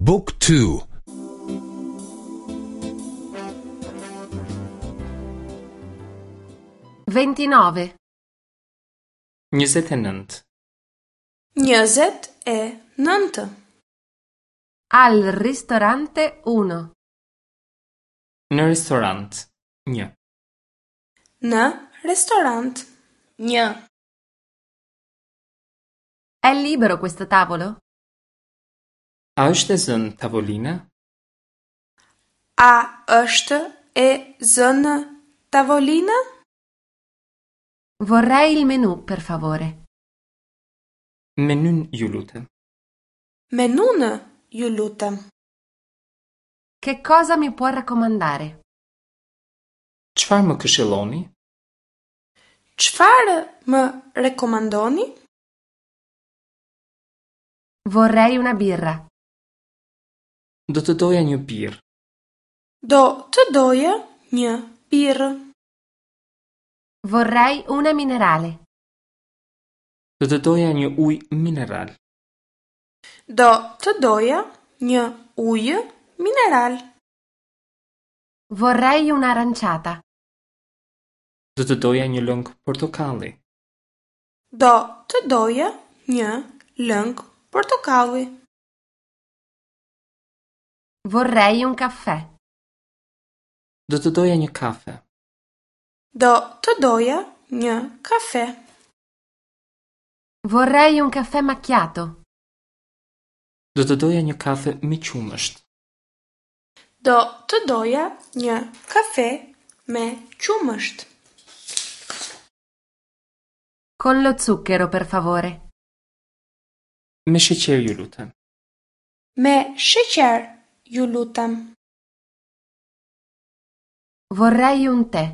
บุ๊กทู 29. 29. 29. Al ristorante 1. Në restorant. 1. Në restorant. 1. È libero questo tavolo? A është e zënë tavolina? A është e zënë tavolina? Vorrei il menù, per favore. Menyn ju lutem. Menunë, ju lutem. Che cosa mi può raccomandare? Çfarë më këshilloni? Çfarë më rekomandoni? Vorrei una birra. Do të doja një birrë. Do të doja një birrë. Vorrei una minerale. Do të doja një ujë mineral. Do të doja një ujë mineral. Vorrei un'aranciata. Do të doja një lëng portokalli. Do të doja një lëng portokalli. Vorrei un caffè. Do të doja një kafe. Do të doja një kafe. Vorrei un caffè macchiato. Do të doja një kafe me qumësht. Do të doja një kafe me qumësht. Con lo zucchero, per favore. Me sheqer ju lutem. Me sheqer, ju lutem. Vorrei un tè.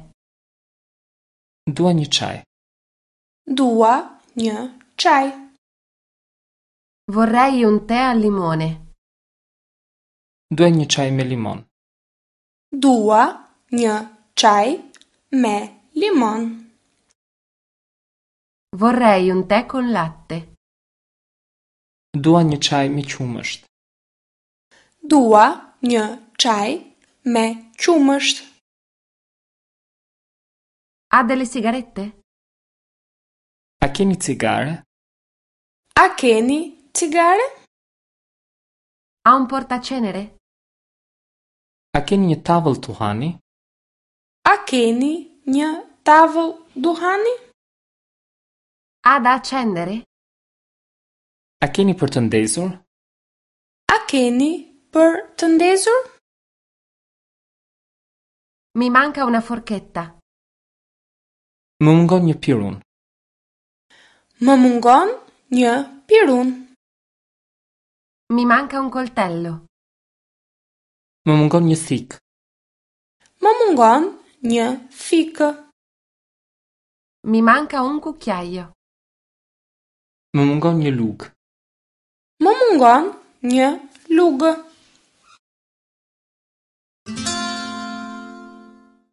Dua një çaj. Dua një çaj. Vorrei un tè al limone. Dua një çaj me limon. Dua një çaj me limon. Vorrei un tè con latte. Dua një çaj me qumësht. Dua një çaj me qumësht. Ha delle sigarette? A keni cigare? A keni cigare? Ha un portacenere? A keni një tavëll duhani? A keni një tavëll duhani? Ha da accendere? A keni për të ndezur? A keni për të ndezur? Mi manca una forchetta. Më mungon një pirun. Më mungon një pirun. Mi manca un coltello. Më mungon një thikë. Më mungon një thikë. Mi manca un cucchiaio. Më mungon një lugë. Më mungon një lugë.